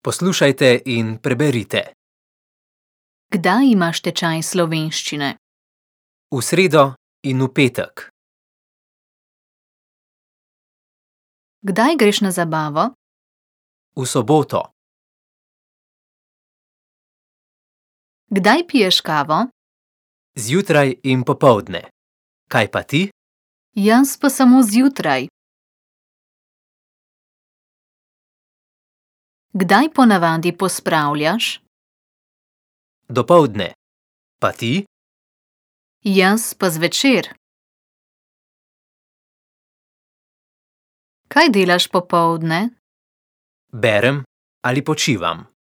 Poslušajte in preberite. Kdaj imaš tečaj slovenščine? V sredo in v petek. Kdaj greš na zabavo? V soboto. Kdaj piješ kavo? Zjutraj in popoldne. Kaj pa ti? Jaz pa samo zjutraj. Kdaj ponavadi pospravljaš? Dopoldne. Pa ti? Jaz pa zvečer. Kaj delaš popoldne? Berem ali počivam.